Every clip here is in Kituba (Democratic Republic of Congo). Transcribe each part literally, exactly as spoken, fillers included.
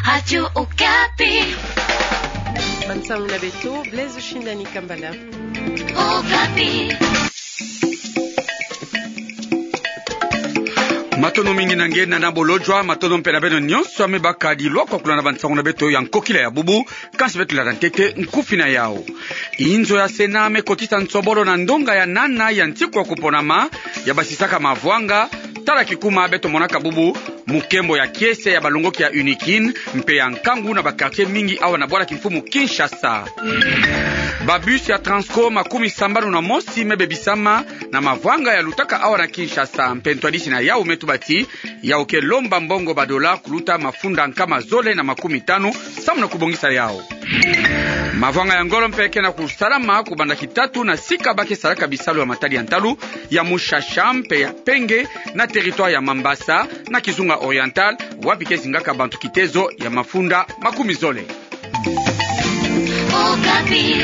Radio Okapi. Bansangu na beto, Blaise Shindani Kambala. Okapi. Matondo mingi na nge, Nana Bolodjwa, matondo mpe na beno nyonso ya me baka dilwa kwa kulanda bansangu na beto ya nkokila ya bubu. Kansi beto landa ntete nkufi na yau. Inzo ya Sénat me kotisa nsobolo na ndonga ya nana ya nsiku ya kuponama, ya basisaka mavwanga, tala kikuma beto monaka bubu, mukembo ya kiese ya balongoki ya UNIKIN, mpe ya nkangu na ba quartier mingi awa na bwala kimfumu Kinshasa. Ba bus ya Transco makumi sambanu na mosi me bebisama na mavwanga ya lutaka awa na Kinshasa, mpe ntwadisi na yau me tuba ti, yau ke lomba mbongo ba dola kuluta mafunda nkama zole na makumi tanu, samu na kubongisa yau. Mavwanga ya ngolo mpe ke na kusalama kubanda kitatu na sika ba ke salaka bisalu ya matadi ya ntalu, ya Mushasha mpe ya Penge, na territoire ya Mambasa, na Kizunga Oriental, wapi ke zingaka bantu kitezo ya mafunda makumi zole. Okapi.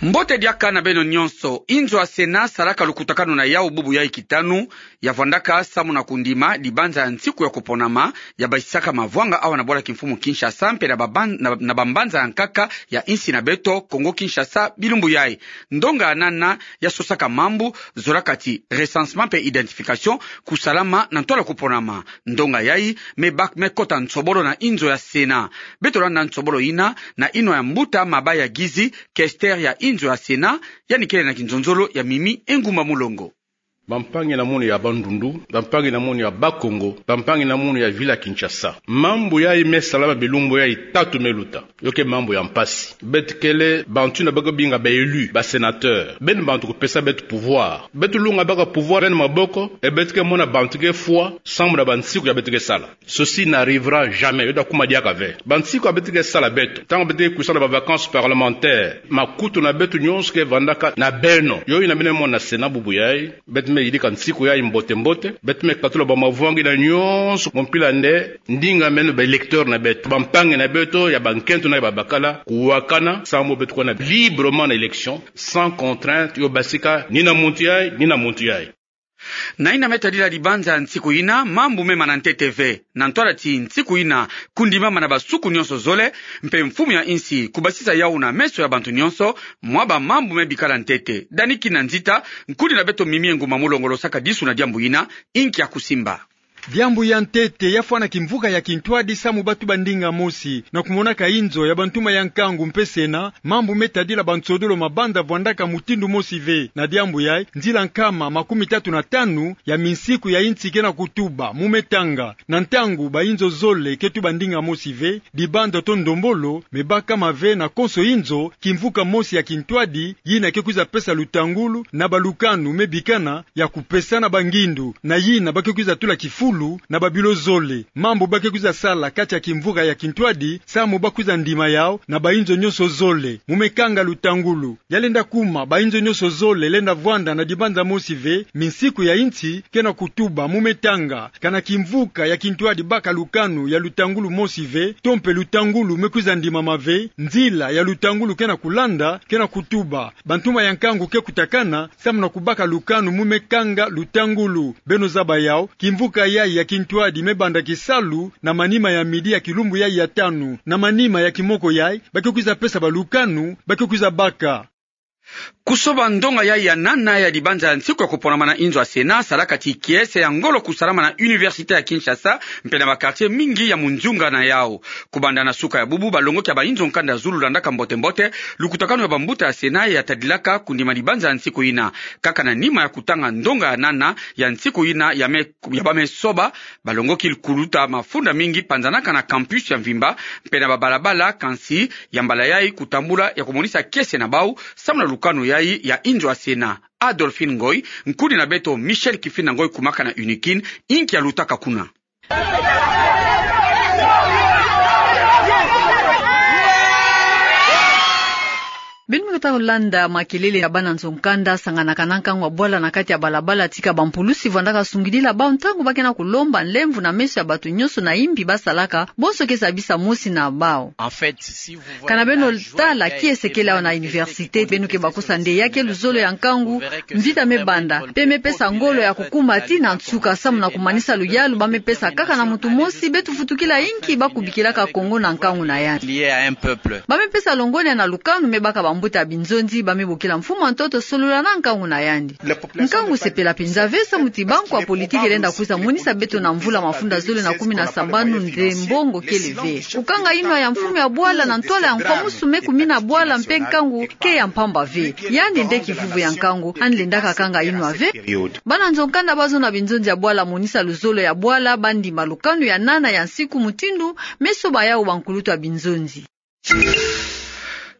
Mbote diaka na beno nyonso. Inzo ya Sénat salaka lukutakanu na yau bubu yai kitanu, ya vwandaka samu na kundima dibanza ya nsiku ya kuponama, ya basisaka mavwanga awa na bwala kimfumu Kinshasa, mpe na baban-, na, na bambanza ya nkaka ya insi na beto, Kongo Kinshasa, bilumbu yai. Ndonga ya nana ya sosaka mambu, zolaka ti recensement mpe identification, kusalama na ntwala kuponama. Ndonga yai me bak-, me kota nsobolo na inzo ya Sénat. Beto landa nsobolo yina na inwa ya mbuta Mabaya Gizi, questeur ya inzo ya Sénat, yandi kele na kinzonzolo ya Mimi Engumba Mulongo. Bampangi na munu ya Bandundu, bampangi na munu ya Bas-Congo, bampangi na munu ya ville ya Kinshasa. Mambu yai me salama bilumbu yai tatu me luta. Yo ke mambu ya mpasi. Beto kele bantu yina ba ke binga ba élus, ba sénateurs. Beno bantu kupesa beto pouvoir. Beto lunga baka pouvoir na beno maboko, e beto ke mona bantu ke fwa, samu na bansiku ya beto ke sala. Ceci n'arrivera jamais. Yo ta kuma diaka ve. Bansiku ya beto ke sala beto, ntangu beto ke kwisa na ba vacances parlementaires, makutu na beto nyonso ke vandaka na beno. Yo yina beno mona na Sénat bubu yai. Beto me yidika nsiku yai mbote mbote. Beto me katula ba mavwanga yina nyonso mu mpila nde ndinga meno ba électeurs na beto, bampangi na beto ya bankento na ya babakala, kuwakana, samu beto kuwa na librement na élection, sans contrainte, yo basika ni na muntu yai, ni na muntu yai. Na yina me tadila dibanza ya nsiku yina, mambu me mana ntete ve. Na ntwala ti nsiku yina, kundimama na basuku nyonso zole, mpe mfumu ya insi kubasisa yau na meso ya bantu nyonso, mwa ba mambu me bikala ntete. Dani Kinanzita, nkundi na beto Mimi Engumba Mulongo, losaka disu na diambu yina, inki ya kusimba. Diambu ya ntete ya fwana kimvuka ya kintwadi samu ba tuba ndinga mosi, na kumonaka inzo ya bantuma ya nkangu mpe Sénat, mambu me tadila bansodolo mabanda vwandaka mutindu mosi ve. Na diambu yai, nzila nkama makumi tatu na tanu ya minsiku ya insi ke na kutuba mu me tanga. Na ntangu ba inzo zole ke tuba ndinga mosi ve, dibanda to ndombolo me bakama ve na konso inzo, kimvuka mosi ya kintwadi, yina ke kwiza pesa lutangulu na balukanu me bikana ya kupesana bangindu, na yina ba ke kwiza tula kifulu na babilo zole. Mambu ba ke kwiza sala kati ya kimvuka ya kintwadi, samu ba kwiza ndima yau na ba inzo nyonso zole mu me kanga lutangulu. Ya lenda kuma ba inzo nyonso zole lenda vwanda na dibanza mosi ve, minsiku ya insi ke na kutuba mu me tanga. Kana kimvuka ya kintwadi baka lukanu ya lutangulu mosi ve, to mpe lutangulu me kwiza ndimama ve, nzila ya lutangulu ke na kulanda ke na kutuba. Bantuma ya nkangu ke kutakana samu na kubaka lukanu mu me kanga lutangulu. Beno zaba yau, kimvuka yai ya kintwadi me banda kisalu na manima ya midi ya kilumbu yai ya tanu. Na manima ya kimoko yai, ba ke kwiza pesa balukanu ba ke kwiza baka. Kusoba ndonga yai ya nana ya dibanza ya nsiku ya kuponama na inzo ya Sénat salaka ti kiese ya ngolo kusalama na Université ya Kinshasa, mpe na ba quartier mingi ya munzunga na yau. Kubanda na suka ya bubu, balongoki ya ba inzo nkanda zulu landaka mbote mbote lukutakanu ya bambuta ya Sénat ya tadilaka kundima dibanza ya nsiku yina. Kaka na nima ya kutanga ndonga ya nana ya nsiku yina ya me, ya ba me soba, balongoki kuluta mafunda mingi panzanaka na campus ya mvimba, mpe na babalabala, kansi ya mbala yai kutambula ya kumonisa kiese na bau, samu na lukanu yai ya inzo ya Sénat. Adolphine Ngoy, nkundi na beto Michel Kifinda Ngoy kumaka na UNIKIN, inki ya lutaka kuna. Beno Tata Hollande, makelele ya bana nzo-nkanda sanganaka na nkangu ya bwala na kati ya balabala tika bampulusi vwandaka sungidila bau ntangu ba ke na kulomba nlemvo na meso ya bato nyonso na imbi ba salaka, bonso ke zabisa mosi na bau. Kana beno tala kiese kele awa na université, beno ke bakosa nde ya ke luzolo ya nkangu, mvita me banda, mpe me pesa ngolo ya kukumba tii na nsuka, samu na kumanisa luyalu ba me pesa kaka na muntu mosi, beto vutukila inki ba kubikilaka Kongo na nkangu na yandi. Ba me pesa longonya na lukanu me baka bambuta ya binzonzi, ba me bokila mfumu ya ntoto solola na nkangu na yandi. Nkangu sepela mpenza ve samu ti bankwa politiki lenda kwiza monisa beto na mvula mafunda zole na kumi na sambanu nde mbongo kele ve. Kukanga inwa ya mfumu ya bwala na ntwala ya nkwamusu me kumina bwala mpe nkangu ke ya mpamba ve. Yandi nde kivuvu ya nkangu, yandi lendaka kanga inwa ve. Bana nzo-nkanda bazo na binzonzi ya bwala monisa luzolo ya bwala, ba ndima lukanu ya nana ya nsiku mutindu me soba yau bankulutu ya binzonzi.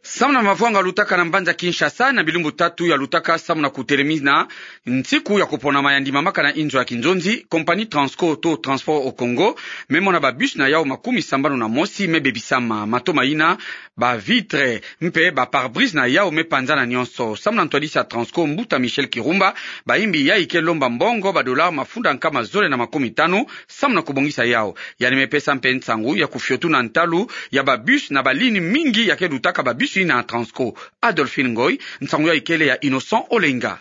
Samu na mavwanga lutaka na mbanza Kinshasa na bilumbu tatu ya lutaka samu na kutelemina nsiku ya kuponama ya ndimamaka na inzo ya kinzonzi, compagnie Transco to Transport au Congo me mona ba bus na yau makumi sambanu na mosi me bebisama, mato mayina, ba vitre mpe ba pare-brise na yau me panzana nyonso. Samu na ntwadisi ya Transco, mbuta Michel Kirumba, bayimbi yai ke lomba mbongo ba dollar mafunda nkama zole na makumi tanu samu na kubongisa yau. Yandi me pesa mpe nsangu ya kufiotuna ntalu ya ba bus na ba ligne mingi ya ke lutaka ba bus yina Transco. Adolphine Ngoy, nsangu yai kele ya Innocent Olenga.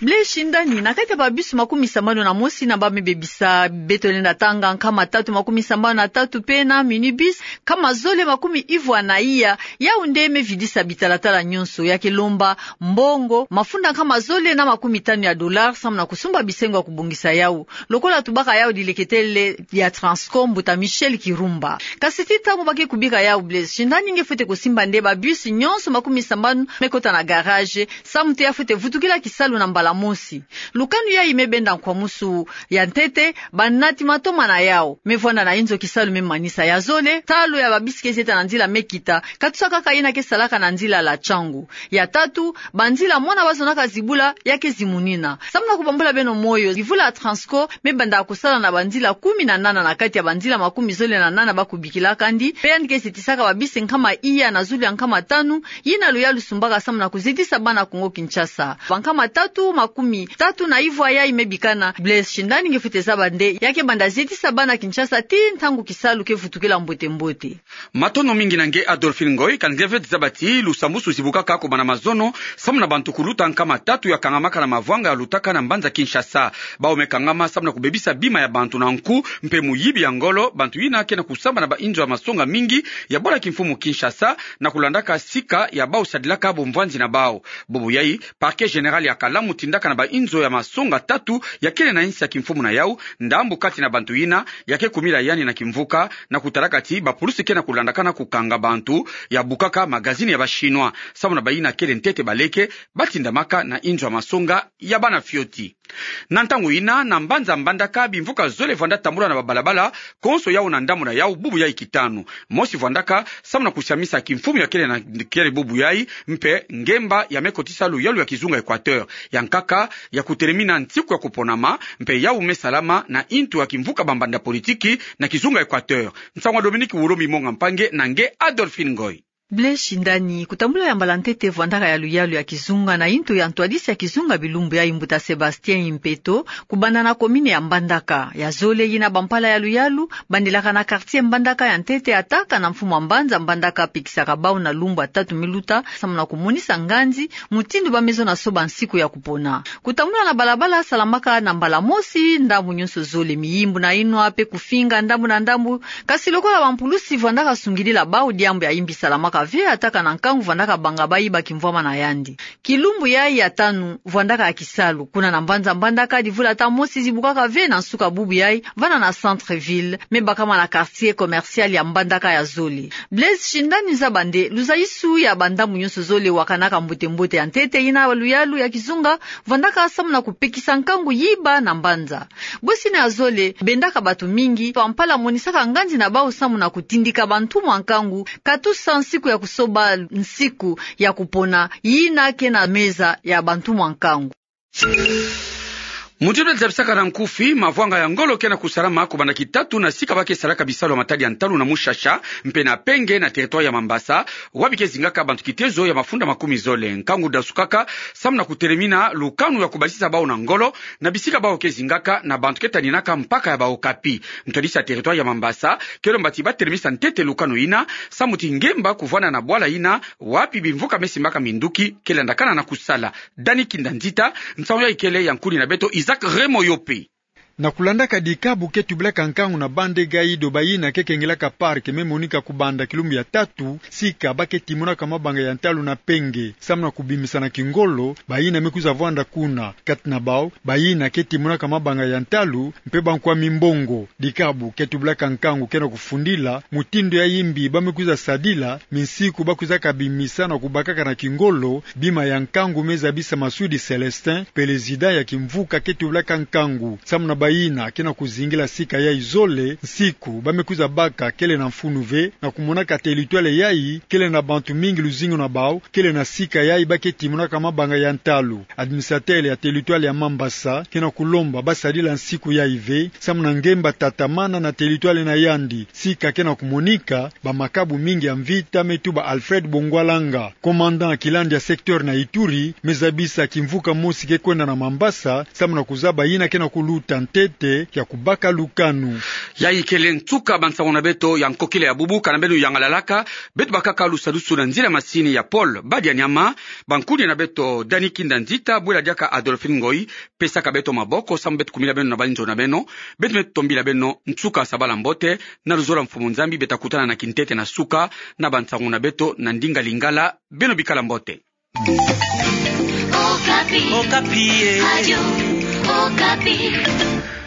Blaise Shindani, na kati ya ba bus makumi sambanu na mosi yina ba me bebisa, beto lenda tanga nkama tatu makumi sambanu na tatu mpe na minibus nkama zole makumi ivwa na iya, yau nde me vidisa bitalatala nyonso, ya ke lomba mbongo mafunda nkama zole na makumi tanu ya dollar samu na kusumba bisengo ya kubongisa yau. Lokola tubaka yau dileketele ya Transco, mbuta Michel Kirumba. Kasi tii ntangu ba ke kubika yau, Blaise Shindani nge fwete kusimba nde ba bus nyonso makumi sambanu me kota na garage, samu ti ya fwete vutukila kisalu na mbala mosi. Lukanu yai me benda nkwamusu ya ntete, banati matoma na yau me vwanda na inzo kisalu me manisa. Ya zole, talo ya ba bus ke zieta na nzila me kita, katusa kaka yina ke salaka na nzila la Tshangu. Ya tatu, banzila mwana bazonaka zibula ya ke zimunina. Samu na kubambula beno moyo, mvula ya Transco me banda kusala na banzila kumi na nana na kati ya banzila makumi zole na nana ba kubikilaka yandi, mpe yandi ke zetisaka ba bus nkama iya na zulu ya nkama tanu, yina luyalu sumbaka samu na kuzetisa bana Kongo-Kinshasa. Ba nkama tatu makumi tatu na ivwa yai me bikana, Blaise Shindani nge fwete zaba nde ya ke banda zetisa bana Kinshasa tii ntangu kisalu ke vutukila mbote-mbote. Matondo mingi na nge Adolphine Ngoy. Ka nge fwete zaba ti lusambusu zibukaka kobanda mazono samu na bantu kuluta nkama tatu ya kangamaka na mavwanga ya lutaka na mbanza Kinshasa. Bau me kangama samu na kubebisa bima ya bantu na nku mpe muyibi ya ngolo, bantu yina ke na kusamba na ba inzo ya masonga mingi ya bwala kimfumu Kinshasa, na kulandaka sika ya bau sadilaka bumvwanzi na bau. Bubu yai, Parquet général ya Kalamu tindaka na ba inzo ya masonga tatu ya kele na insi ya kimfumu na yau, ndambu kati na bantu yina ya ke kumila yandi na kimvuka, na kutalaka ti bapulusi ke na kulandakana kukanga bantu ya bukaka magazini ya ba Chinois, samu na bayina kele ntete baleke, ba tindamaka na inzo ya masonga ya bana fioti. Na ntangu yina, na mbanza Mbandaka, bimvuka zole vwanda tambula na babalabala, konso yau na ndambu na yau, bubu yai kitanu. Mosi vwandaka samu na kusiamisa kimfumu ya kele na kele bubu yai, mpe ngemba ya me kotisa luyalu ya kizunga Equateur. Ya nkaka, ya kutelemina nsiku ya kuponama, mpe yau me salama na intu ya kimvuka bambanda politiki na kizunga Equateur. Nsangu ya Dominique Wulombi Monga Mpangi na nge Adolphine Ngoy. Blaise Shindani, kutambula ya mbala ntete vwandaka ya luyalu ya kizunga na intu ya ntwadisi ya kizunga bilumbu yai, mbuta Sébastien Impeto, kubanda na commune ya Mbandaka. Ya zole, yina bampala ya luyalu bandilaka na quartier Mbandaka ya ntete, ataka na mfumu ya mbanza Mbandaka, pekisaka bau na lumbu ya tatu me luta samu na kumonisa nganzi mutindu ba me zona soba nsiku ya kupona. Kutambula na balabala salamaka na mbala mosi ndambu nyonso zole, miyimbu na inwa mpe kufinga ndambu na ndambu. Kasi lokola bampulusi vwandaka sungidila bau, diambu ya imbi salamaka ve, ataka na nkangu vwandaka banga bayiba kimvwama na yandi. Kilumbu yai ya tanu vwandaka ya kisalu. Kuna na mbanza Mbandaka, divula ata mosi zibukaka ve na nsuka bubu yai, vana na centre-ville, me bakama na quartier commercial ya Mbandaka ya zole. Blaise Shindani, zaba nde luzayisu ya bandambu nyonso zole wakanaka mbote-mbote. Ya ntete, yina luyalu ya kizunga vwandaka samu na kupekisa nkangu yiba na mbanza. Bwesi yina ya zole bendaka batu mingi, bampala monisaka nganzi na bau samu na kutindika bantumwa nkangu, katusa nsiku ya kusoba nsiku ya kupona, yina ke na meza ya bantumwa nkangu. Mutindu zabisaka na nkufi, mavwanga ya ngolo ke na kusalama kubanda kitatu na sika ba ke salaka bisalu ya matadi ya ntalu na Mushasha mpe na Penge na territoire ya Mambasa, wapi ke zingaka bantu kitezo ya mafunda makumi zole. Nkangu dasukaka samu na kutelemina lukanu ya kubasisa bawu na ngolo na bisika bawu ke zingaka na bantu ke taninaka mpaka ya ba Okapi. Ntwadisi ya territoire ya Mambasa ke lomba ti ba telemisa ntete lukanu yina, samu ti ngemba kuvwanda na bwala yina wapi bimvuka me simbaka minduki ke landakana na kusala. Dani Kinda Nzita, nsangu yayi kele ya nkuni na beto Isaac Remoyope. Na kulandaka dikabu ke tubilaka nkangu na bande Gaido, bayina ke kengilaka parc me monika kubanda kilumbu ya tatu, sika ba ke timonaka mabanga ya ntalu na Penge samu na kubimisa na kingolo bayina me kwiza vwanda kuna. Kati na bawu, bayina ke timonaka mabanga ya ntalu mpe bankwa mimbongo. Dikabu ke tubilaka nkangu ke na kufundila mutindu ya yimbi ba me kwiza sadila minsiku ba kwizaka bimisa na kubakaka na kingolo bima ya nkangu, me zabisa Masudi Célestin, pelezida ya kimvuka ke tubilaka nkangu, samu na bayina ke na kuzingila sika yayi zole. Nsiku ba me kwiza baka kele na mfunu ve, na kumonaka territoire yayi kele na bantu mingi luzingu na bawu kele na sika yayi ba ke timonaka mabanga ya ntalu. Administrateur ya territoire ya Mambasa ke na kulomba ba sadila nsiku yayi ve samu na ngemba tatamana na territoire na yandi. Sika ke na kumonika bamakabu mingi ya mvita, me tuba Alfred Bongwalanga, commandant ya kilandi ya secteur na Ituri, me zabisa kimvuka mosi ke kwenda na Mambasa samu na kuzaba yina ke na kuluta ntete ya kubaka lukanu. Yayi kele nsuka bansangu na beto ya nkokila ya bubu. Kana beno yangalalaka, beto bakaka lusadusu na nzila masini ya Paul Badianyama. Bankuni na beto Dani Kinda Nzita, bwela diaka Adolphine Ngoyi, pesaka beto maboko samu beto kumila beno na balinzo na beno. Beto me tombila beno nsuka sabala mbote na luzolo ya Mfumu Nzambi. Beta kutana na kintete na suka na bansangu na beto na ndinga Lingala. Beno bikala mbote. Okapi. Okapi, eh. Radio Okapi.